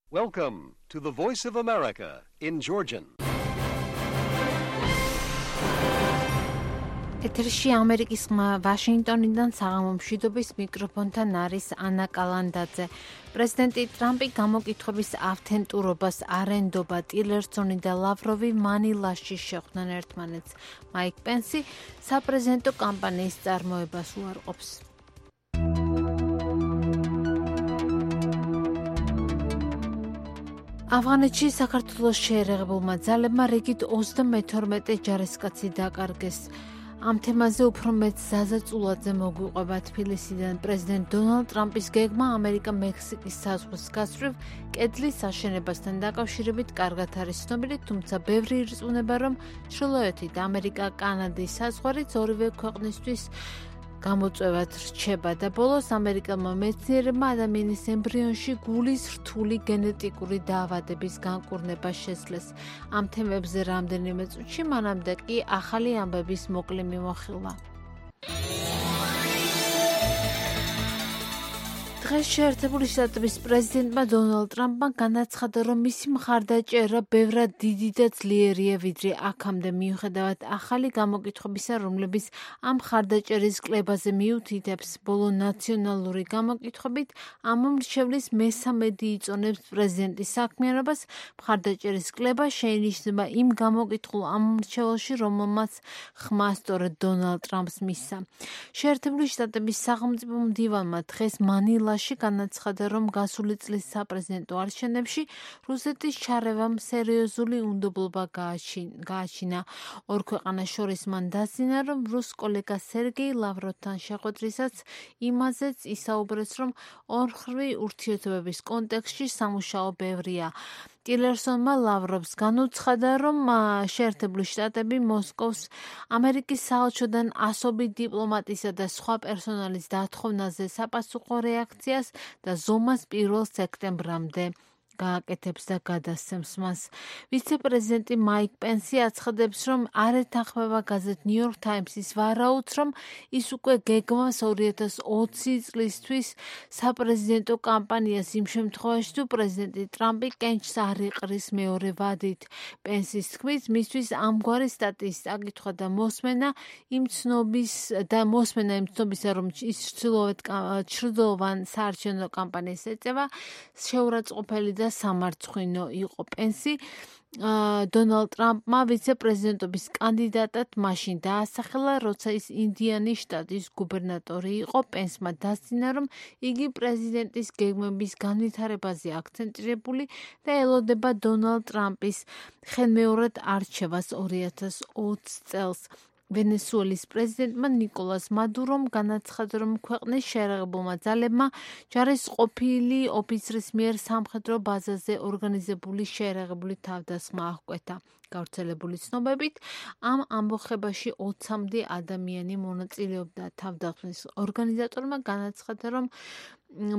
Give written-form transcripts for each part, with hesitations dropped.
Welcome to the Voice of America in Georgian. ეთერში ამერიკის ხმა ვაშინგტონიდან საღამო მშვიდობის მიკროფონთან არის ანა კალანდაძე. პრეზიდენტი ტრამპი გამოკითხვების ავთენტურობას არ ენდობა. ტილერსონი და ლავროვი მანილაში შეხვდნენ ერთმანეთს. მაიკ პენსი საპრეზიდენტო კამპანიის წარმოებას უარყოფს. ავღანეთში საქართველოს შეერაღებულმა ძალებმა რიგით 32 ჯარისკაცი დაკარგეს. ამ თემაზე უფრო მეტ ზაზა წულაძე მოგვიყვება თბილისიდან. პრეზიდენტ დონალდ ტრამპის გეგმა ამერიკა-მექსიკის საზღვრის გასწვრივ კედლის აშენებასთან დაკავშირებით კარგად არის ცნობილი, თუმცა ბევრი ირწმუნება, რომ ჩრდილოეთით ამერიკა-კანადის საზღვარიც ორივე ქვეყნისთვის გამოწვევად რჩება და ბოლოს ამერიკელმა მეცნიერებმა ადამიანის ემბრიონში გულის რთული გენეტიკური დაავადების განკურნება შესძლეს. ამ თემებზე რამდენიმე წუთში, მანამდე კი ახალი ამბების მოკლე მიმოხილვა. დღეს შეერთებული შტატების პრეზიდენტმა დონალდ ტრამპმა განაცხადა, რომ მისი მხარდაჭერა ბევრად დიდი და ძლიერია ვიდრე აქამდე, მიუხედავად ახალი გამოკითხვებისა, რომლებიც ამ მხარდაჭერის კლებაზე მიუთითებს. ბოლო ნაციონალური გამოკითხვებით ამ მრჩევლის მესამედი იწონებს პრეზიდენტის საქმიანობას. მხარდაჭერის კლება შეინიშნება იმ გამოკითხულ ამ მრჩეველში, რომელმაც ხმა სწორედ დონალდ ტრამპს მისცა. შეერთებული შტატების სახელმწიფო მდივანმა დღეს მანილაში განაცხადა, რომ გასული წლის საპრეზიდენტო არჩევნებში რუსეთის ჩარევამ სერიოზული უნდობლობა გააჩინა. ორ ქვეყანას შორის მან დასძინა, რომ რუს კოლეგა სერგეი ლავროვთან შეხვედრისას იმაზეც ისაუბრეს, რომ ორმხრივი ურთიერთობების კონტექსტში სამუშაო ბევრია. ტილერსონმა ლავროვს განუცხადა, რომ შეერთებული შტატები მოსკოვს ამერიკის საელჩოდან ასობით დიპლომატისა და სხვა პერსონალის დათხოვნაზე საპასუხო რეაქციას და ზომას 1 სექტემბრამდე გააკეთებს და გადასცემს მას. ვიცე-პრეზიდენტი მაიკ პენსი აცხადებს, რომ არ ეთანხმება გაზეთ ნიუ-იორკ თაიმსის ვარაუდს, რომ ის უკვე გეგმავს 2020 წლისთვის საპრეზიდენტო კამპანიას იმ შემთხვევაში, თუ პრეზიდენტი ტრამპი კენჭს არ იყრის მეორე ვადით. პენსის თქმით, მისთვის ამგვარი სტატიის წაკითხვა და მოსმენა იმ ცნობისა, რომ ის ჩრდილოვან საარჩევნო კამპანიას ეწევა, შეურაცხყოფელი და სამარცხვინო იყო. პენსი დონალდ ტრამპმა ვიცე-პრეზიდენტობის კანდიდატად მაშინ დაასახელა, როცა ის ინდიანის შტატის გუბერნატორი იყო. პენსმა დასძინა, რომ იგი პრეზიდენტის გეგმების განვითარებაზე აქცენტირებული და ელოდება დონალდ ტრამპის ხელმეორედ არჩევას 2020 წელს. ვენესუელის პრეზიდენტმა ნიკოლას მადურომ განაცხადა, რომ ქვეყნის შეერაღებულმა ძალებმა ჯარისყოფილი ოფიცრის მიერ სამხედრო ბაზაზე ორგანიზებული შეერაღებული თავდასხმა აღკვეთა. გავრცელებული ცნობებით, ამ ამბოხებაში 20-მდე ადამიანი მონაწილეობდა. თავდასხმის ორგანიზატორმა განაცხადა, რომ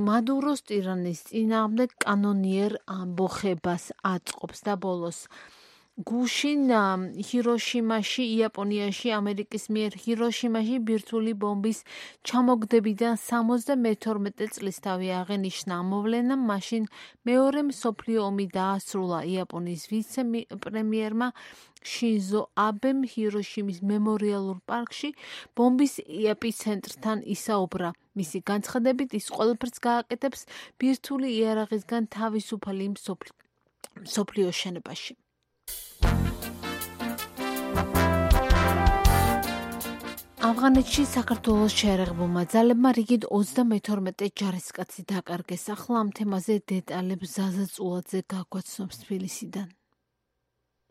მადუროს ტირანის წინააღმდეგ კანონიერ ამბოხებას აწყობს და ბოლოს გუშინ ჰიროშიმაში, იაპონიაში, ამერიკის მიერ ჰიროშიმაში ბირთვული ბომბის ჩამოგდებიდან 72 წლისთავი აღენიშნა. მოვლენამ მაშინ მეორე მსოფლიო ომი დაასრულა. იაპონიის ვიცე-პრემიერმა შინზო აბემ ჰიროშიმის მემორიალურ პარკში ბომბის ეპიცენტრთან ისაუბრა. მისი განცხადებით, ის ყველაფერს გააკეთებს ბირთვული იარაღისგან თავისუფალი მსოფლიო შენობაში. ავღანეთში საქართველოს შეერაღებულმა ძალებმა რიგით 32 ჯარისკაცი დაკარგეს. ახლა ამ თემაზე დეტალებს ზაზა წულაძე გაგვაცნობს თბილისიდან.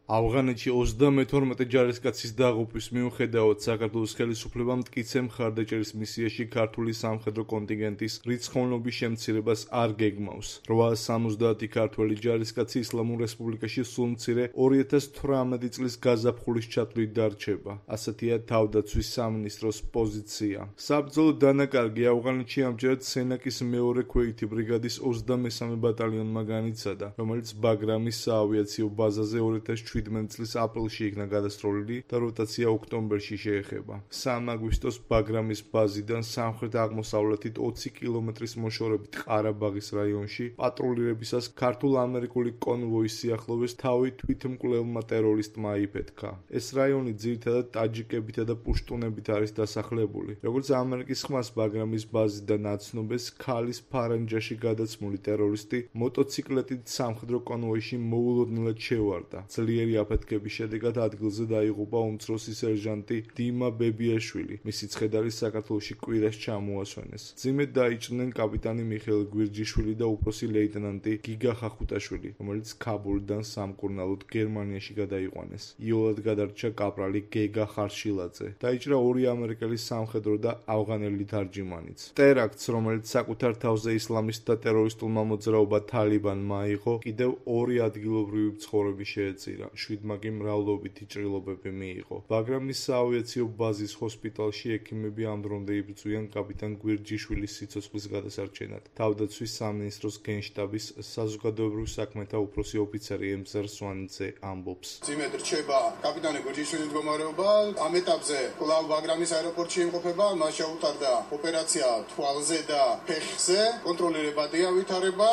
ავღანეთში 32 ჯარისკაცის დაღუპვის მიუხედავად საქართველოს ხელისუფლებამ მტკიცე მხარდაჭერის მისიაში ქართული სამხედრო კონტინგენტის რიცხოვნობის შემცირებას არ გეგმავს. 870 ქართველი ჯარისკაცი ისლამურ რესპუბლიკაში სულ მცირე 2018 წლის გაზაფხულის ჩათვლით დარჩება. ასეთია თავდაცვის სამინისტროს პოზიცია. საბრძოლო დანაკარგი ავღანეთში ამჯერად სენაკის მეორე ქვეითი ბრიგადის 23 ბატალიონმა განიცადა, რომელიც ბაგრამის საავიაციო ბაზაზე 2007 2017 წლის აპრილში იქნა გადასროლილი და როტაცია ოქტომბერში შეეხება. 3 აგვისტოს ბაგრამის ბაზიდან სამხრეთ-აღმოსავლეთით 20 კილომეტრის მოშორებით ყარაბაღის რაიონში პატრულირებისას ქართულ-ამერიკული კონვოის სიახლოვეს თავი თვითმკვლელმა ტერორისტმა აიფეთქა. ეს რაიონი ძირითადად ტაჯიკებითა და პუშტუნებით არის დასახლებული. როგორც ამერიკის ხმას ბაგრამის ბაზიდან აცნობეს, ქალის ფარანჯაში გადაცმული ტერორისტი მოტოციკლეტით სამხედრო კონვოიში მოულოდნელად შევარდა. ძლიერი აფეთქების შედეგად ადგილზე დაიღუპა უმცროსი სერჟანტი დიმა ბებიაშვილი. მისი ცხედარი საქართველოში კვირას ჩამოასვენეს. მძიმედ დაიჭრნენ კაპიტანი მიხეილ გვირჯიშვილი და უფროსი ლეიტენანტი გიგა ხახუტაშვილი, რომელიც ქაბულიდან სამკურნალოდ გერმანიაში გადაიყვანეს. იოლად გადარჩა კაპრალი გეგა ხარშილაძე. დაიჭრა 2 ამერიკელი სამხედრო და ავღანელი თარჯიმანიც. ტერაქტს, რომელიც საკუთარ თავზე ისლამისტთა ტერორისტულმა მოძრაობა თალიბანმა აიღო, კიდევ 2 ადგილობრივი მცხოვრები შეეწირა. 7 კი მრავლობითი ჭრილობები მიიღო. ბაგრამის საავიაციო ბაზის ჰოსპიტალში ექიმები ამ დრომდე იბრძვიან კაპიტან გვირჯიშვილის სიცოცხლის გადასარჩენად. თავდაცვის სამინისტროს გენშტაბის საზოგადოებრივ საქმეთა უფროსი ოფიცერი ემზარ სვანიძე ამბობს. ძიმედ რჩება კაპიტანი გვირჯიშვილის მდგომარეობა. ამ ეტაპზე კვლავ ბაგრამის აეროპორტში იმყოფება. მას შეუტარდა ოპერაცია თვალზე და ფეხზე. კონტროლირებადია ვითარება.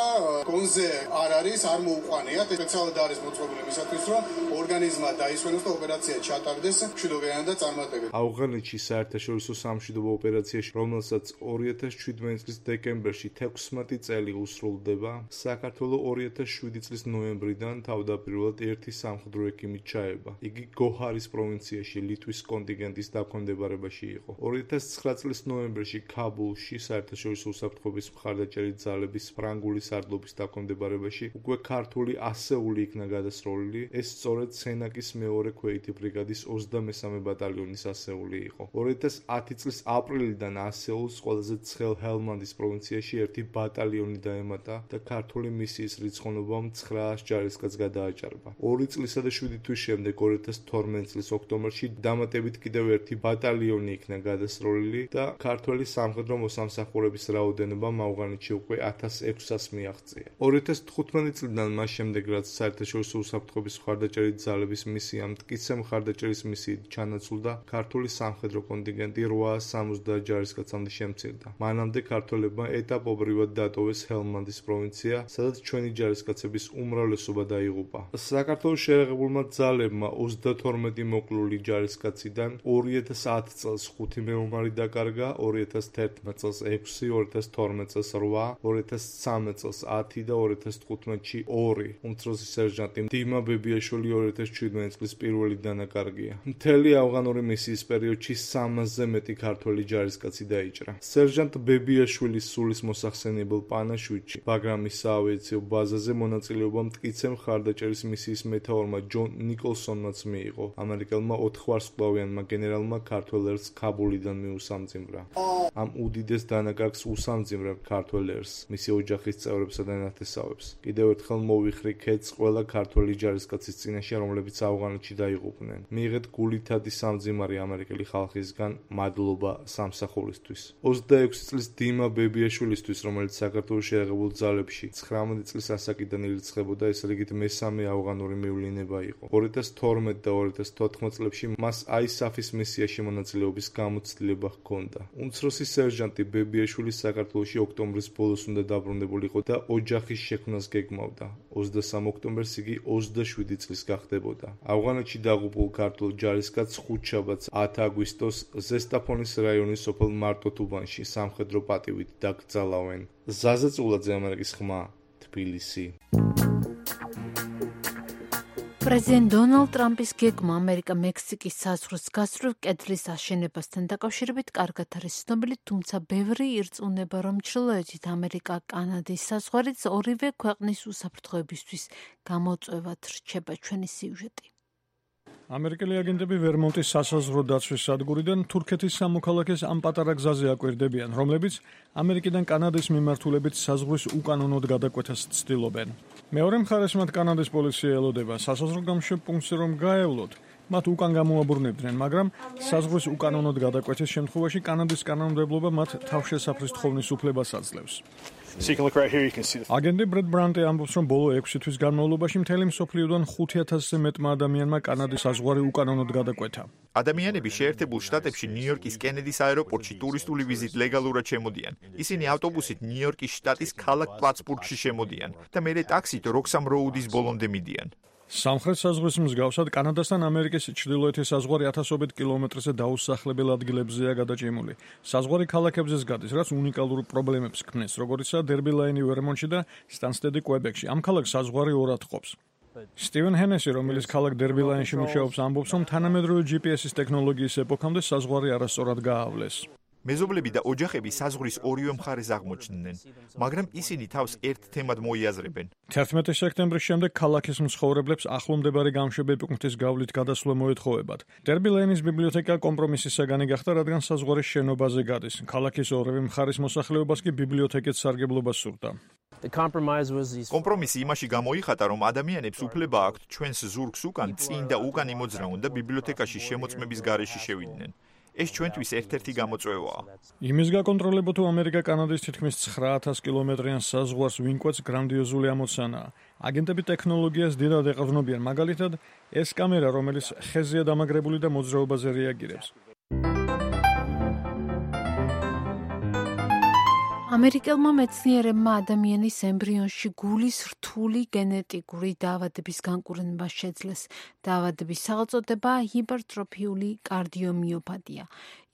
კონზე არ არის, არ მოუყვანიათ. სპეციალურად არის მოწყობილი მისათვის, რომ ორგანიზმა დაისვენოს და ოპერაცია ჩატარდეს მშვიდობიანი და წარმატებით. ავღანეთში საერთაშორისო სამშვიდობო ოპერაციაში, რომელსაც 2017 წლის დეკემბერში 16 წელი უსრულდება, საქართველო 2007 წლის ნოემბრიდან თავდაპირველად 1 სამხედრო ექიმით ჩაება. იგი გოჰარის პროვინციაში ლიტვის კონტინგენტის დაქვემდებარებაში იყო. 2009 წლის ნოემბერში ქაბულში საერთაშორისო უსაფრთხოების მხარდაჭერი ძალების ფრანგული სარდლობის დაქვემდებარებაში უკვე ქართული ასეული იქნა გადასროლილი. ეს სწორედ სენაკის მეორე ქვეითი ბრიგადის 23 ბატალიონის ასეული იყო. 2010 წლის აპრილიდან ასეულს ყველაზე ცხელ ჰელმანდის პროვინციაში 1 ბატალიონი დაემატა და ქართული მისიის რიცხოვნობამ 900 ჯარისკაცს გადააჭარბა. 2 წლისა და 7 თვის შემდეგ 2012 წლის ოქტომბერში დამატებით კიდევ 1 ბატალიონი იქნა გადასროლილი და ქართველი სამხედრო მოსამსახურების რაოდენობამ ავღანეთში უკვე 1600-ს მიაღწია. 2015 წლიდან მას შემდეგ, რაც საერთაშორისო უსაფრთხოების მხარდაჭერი ძალების მისია მტკიცე მხარდაჭერის მისიით ჩანაცვლდა, ქართული სამხედრო კონტინგენტი 870 ჯარისკაცამდე შემცირდა. მანამდე ქართველებმა ეტაპობრივად დატოვეს ჰელმანდის პროვინცია, სადაც ჩვენი ჯარისკაცების უმრავლესობა დაიღუპა. საქართველოს შეიარაღებულმა ძალებმა 32 მოკლული ჯარისკაციდან 2010 წელს 5 მეომარი დაკარგა, 2011 წელს 6, 2012 წელს 8, 2013 წელს 10 და 2015-ში 2. უმცროსი სერჟანტი დიმა ბებიაშვილი 2017 წლის პირველი დანაკარგია. მთელი ავღანური მისიის პერიოდში 300-ზე მეტი ქართველი ჯარისკაცი დაიჭრა. სერჟანტ ბებიაშვილის სულის მოსახსენებელ პანაშვიდში ბაგრამის საავიაციო ბაზაზე მონაწილეობა მტკიცე მხარდაჭერის მისიის მეთაურმა ჯონ ნიკოლსონმაც მიიღო. ამერიკელმა 4 ვარსკვლავიანმა გენერალმა ქართველ ერს ქაბულიდან მიუსამძიმრა. ამ უდიდეს დანაკარგს უსამძიმრა ქართველ ერს, მისი ოჯახის წევრებსა და ნათესავებს. კიდევ ერთხელ მოვიხრი ქედს ყველა ქართველი ჯარისკაცის წინაშე, რომლებიც ავღანეთში დაიღუპნენ. მიიღეთ გულითადი სამძიმარი ამერიკელი ხალხისგან, მადლობა სამსახურისთვის. 26 წლის დიმა ბებიაშვილისთვის, რომელიც საქართველოს შეიარაღებულ ძალებში 19 წლის ასაკიდან ირიცხებოდა, ეს რიგით მესამე ავღანური მივლინება იყო. 2012 და 2014 წლებში მას ISAF-ის მისიაში მონაწილეობის გამოცდილება ჰქონდა. უმცროსი სერჟანტი ბებიაშვილი საქართველოში ოქტომბრის ბოლოს უნდა დაბრუნებულიყო და ოჯახის შექმნას გეგმავდა. 23 ოქტომბერს იგი 27 წლის გახდებოდა. ავღანეთში დაღუპულ ქართულ ჯარისკაცს ხუთშაბათს 10 აგვისტოს ზესტაფონის რაიონის სოფელ მარტოთუბანში სამხედრო პატივით დაკრძალავენ. ზაზა წულაძე, ამერიკის ხმა, თბილისი. პრეზიდენტ დონალდ ტრამპის გეგმა ამერიკა-მექსიკის საზღვრის გასწვრივ კედლის აშენებასთან დაკავშირებით კარგად არის ცნობილი, თუმცა ბევრი ირწმუნება, რომ ჩრდილოეთით ამერიკა-კანადის საზღვარიც ორივე ქვეყნის უსაფრთხოებისთვის გამოწვევად რჩება. ჩვენი სიუჟეტი. ამერიკელი აგენტები ვერმონტის სასაზღვრო დაცვის სადგურიდან თურქეთის სამოქალაქეს ამ პატარა გზაზე აკვირდებიან, რომლებიც ამერიკიდან კანადის მიმართულებით საზღვრის უკანონოდ გადაკვეთას ცდილობენ. მეორე მხარეს მათ კანადის პოლიცია ელოდება სასაზღვრო გამშვებ პუნქტზე, რომ გაევლოთ. მათ უკან გამოაბრუნებდნენ, მაგრამ საზღვრის უკანონოდ გადაკვეთის შემთხვევაში კანადის კანონმდებლობა მათ თავშესაფრის თხოვნის უფლებას აძლევს. So you can look right here, you can see the აგენტი ბრედ ბრანტი ამბობს, რომ ბოლო 6 თვის განმავლობაში მთელი მსოფლიოდან 5,000-ზე მეტმა ადამიანმა კანადის საზღვარი უკანონოდ გადაკვეთა. ადამიანები შეერთებულ შტატებში ნიუ-იორკის კენედის აეროპორტში ტურისტული ვიზით ლეგალურად შემოდიან. ისინი ავტობუსით ნიუ-იორკის შტატის ქალაქ პლატსბურგში შემოდიან და მერე ტაქსით როქსამ როუდის ბოლომდე მიდიან. სამხრეთ საზღვრის მსგავსად კანადასთან ამერიკის ჩრდილოეთის საზღვარი 1000-ობით კილომეტრზე დაუსახლებელ ადგილებზეა გადაჭიმული. საზღვარი ქალაქებზეც გადის, რაც უნიკალურ პრობლემებს ქმნის, როგორიცაა დერბი ლაინი ვერმონტში და სტანსტედი კვებეკში. ამ ქალაქს საზღვარი ორად ყოფს. სტივენ ჰენესი, რომელიც ქალაქ დერბი ლაინში მუშაობს, ამბობს, რომ თანამედროვე GPS-ის ტექნოლოგიის ეპოქამდე საზღვარი არასწორად გაავლეს. მეზობლები და ოჯახები საზღვრის ორივე მხარეს აღმოჩნდნენ, მაგრამ ისინი თავს ერთ თემად მოიაზრებენ. 11 სექტემბრის შემდეგ ქალაქის მცხოვრებლებს ახლომდებარე გამშვები პუნქტის გავლით გადასვლა მოეთხოვებათ. დერბი ლეინის ბიბლიოთეკა კომპრომისის საგანი გახდა, რადგან საზღვარის შენობაზე გადის. ქალაქის ორივე მხარის მოსახლეობას კი ბიბლიოთეკით სარგებლობა სურდა. კომპრომისი იმაში გამოიხატა, რომ ადამიანებს უფლება აქვთ ჩვენს ზურგს უკან წინ და უკან იმოძრაონ და ბიბლიოთეკაში შემოწმების გარეშე შევიდნენ. ეს ჩვენთვის ერთ-ერთი გამოწვევაა. იმის გაკონტროლებო თუ ამერიკა კანადის თითქმის 9,000 კილომეტრიან საზღვარს ვინკვეთს გრანდიოზული ამოცანაა. აგენტები ტექნოლოგიას დიდად ეყრდნობიან, მაგალითად, ეს კამერა, რომელიც ხეზია დამაგრებული და მოძრაობაზე რეაგირებს. ამერიკელმა მეცნიერებმა ადამიანის ემბრიონში გულის რთული გენეტიკური დაავადების განკურნება შეძლეს. დაავადების სახელწოდებაა ჰიპერტროფიული კარდიომიოპათია.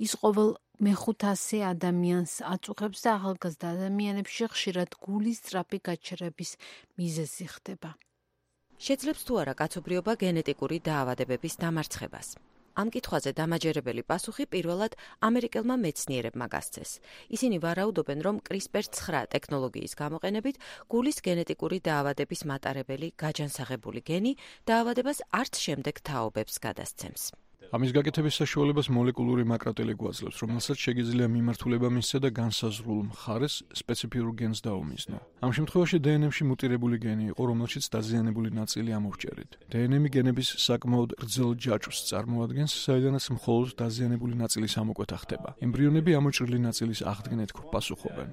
ის ყოველ მე-500 ადამიანს აწუხებს და ახალგაზრდა ადამიანებში ხშირად გულის სწრაფი გაჩერების მიზეზი ხდება. შეძლებს თუ არა კაცობრიობა გენეტიკური დაავადებების დამარცხებას? ამ კითხვაზე დამაჯერებელი პასუხი პირველად ამერიკელმა მეცნიერებმა გასცეს. ისინი ვარაუდობენ, რომ CRISPR-9 ტექნოლოგიის გამოყენებით გულის გენეტიკური დაავადების მატარებელი გაჯანსაღებული გენი დაავადებას არც შემდეგ თაობებს გადასცემს. ამის გაკეთების საშუალებას მოლეკულური მაკრატელი გვაძლევს, რომელსაც შეგიძლია მიმართულება მისცა და განსაზღვრულ მხარეს სპეციფიურ გენს დაუმიზნო. ამ შემთხვევაში DNM-ში მუტირებული გენი იყო, რომელშიც დაზიანებული ნაწილი ამოვჭერით. DNM გენების საკმაოდ გრძელ ჯაჭვს წარმოადგენს, საიდანაც მხოლოდ დაზიანებული ნაწილის ამოკვეთა ხდება. ემბრიონები ამოჭრილი ნაწილის აღდგენით პასუხობენ.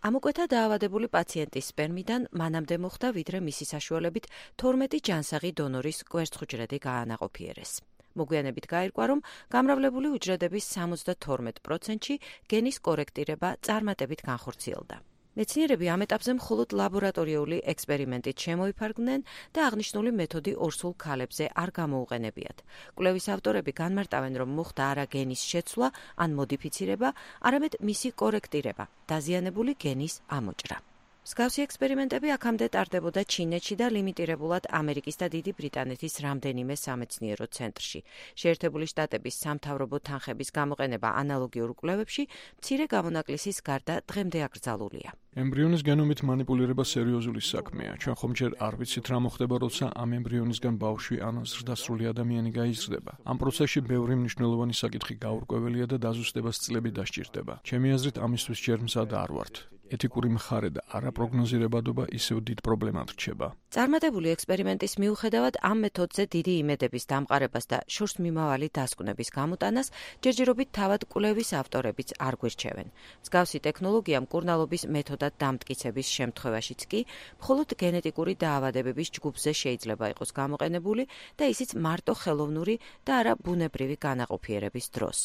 ამოკვეთა დაავადებული პაციენტის სპერმიდან მანამდე მოხდა, ვიდრე მისი საშუალებით 12 ჯანსაღი დონორის კვერცხუჯრედი გაანაყოფიერეს. მოგვიანებით გაირკვა, რომ გამრავლებული უჯრედების 72%-ში გენის კორექტირება წარმატებით განხორციელდა. მეცნიერები ამ ეტაპზე მხოლოდ ლაბორატორიული ექსპერიმენტით შემოიფარგლნენ და აღნიშნული მეთოდი ორსულ ქალებზე არ გამოუყენებიათ. კვლევის ავტორები განმარტავენ, რომ მოხდა არა გენის შეცვლა ან მოდიფიცირება, არამედ მისი კორექტირება, დაზიანებული გენის ამოჭრა. მსგავსი ექსპერიმენტები აქამდე ტარდებოდა ჩინეთში და ლიმიტირებულად ამერიკის და დიდი ბრიტანეთის რამდენიმე სამეცნიერო ცენტრში. შეერთებული შტატების სამთავრობო თანხების გამოყენება ანალოგიურ კვლევებში მცირე გამონაკლისის გარდა დღემდე აკრძალულია. ემბრიონის გენომით მანიპულირება სერიოზული საქმეა. ჩვენ ხომ ჯერ არ ვიცით რა მოხდება, როცა ამ ემბრიონისგან ბავშვი ან ზრდასრული ადამიანი გაიზრდება. ამ პროცესში ბევრი მნიშვნელოვანი საკითხი გაურკვეველია და დაზუსტებას წლები დასჭირდება. ჩემი აზრით, ამისთვის ჯერ მზად არ ვართ. ეთიკური მხარე და არაპროგნოზირებადობა ისევ დიდ პრობლემად რჩება. წარმატებული ექსპერიმენტის მიუხედავად ამ მეთოდზე დიდი იმედების დამყარებას და შორს მიმავალი დასკვნების გამოტანას ჯერჯერობით თავად კვლევის ავტორებიც არ გვირჩევენ. მსგავსი ტექნოლოგია მკურნალობის მეთოდად დამტკიცების შემთხვევაშიც კი მხოლოდ გენეტიკური დაავადებების ჯგუფზე შეიძლება იყოს გამოყენებული და ისიც მარტო ხელოვნური და არა ბუნებრივი განაყოფიერების დროს.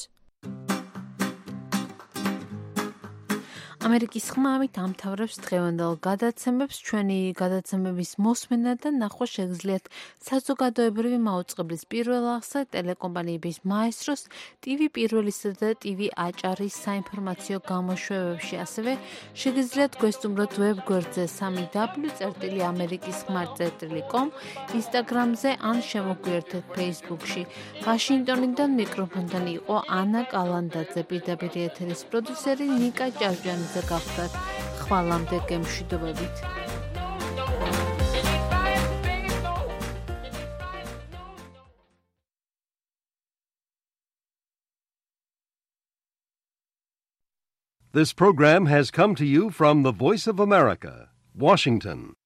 ამერიკის ხმამით ამთავრებს დღევანდელ გადაცემებს. ჩვენი გადაცემების მოსმენა და ნახვა შეგიძლიათ საზოგადოებრივი მაუწყებლის პირველ აღსა ტელეკომპანიების მაესტროს, TV პირველისა და TV აჭარის საინფორმაციო გამოშვებებში. ასევე შეგიძლიათ გვესტუმროთ ვებგვერდზე www.amerikiskhmar.com, Instagram-ზე ან შემოგვიერთეთ Facebook-ში. ვაშინგტონიდან მიკროფონთან იყო ანა კალანდაძე, პირდაპირ ეთერის პროდიუსერი ნიკა ჭავჭიანი. გახდათ ხვალამდე გემშვიდობებით. This program has come to you from the Voice of America, Washington.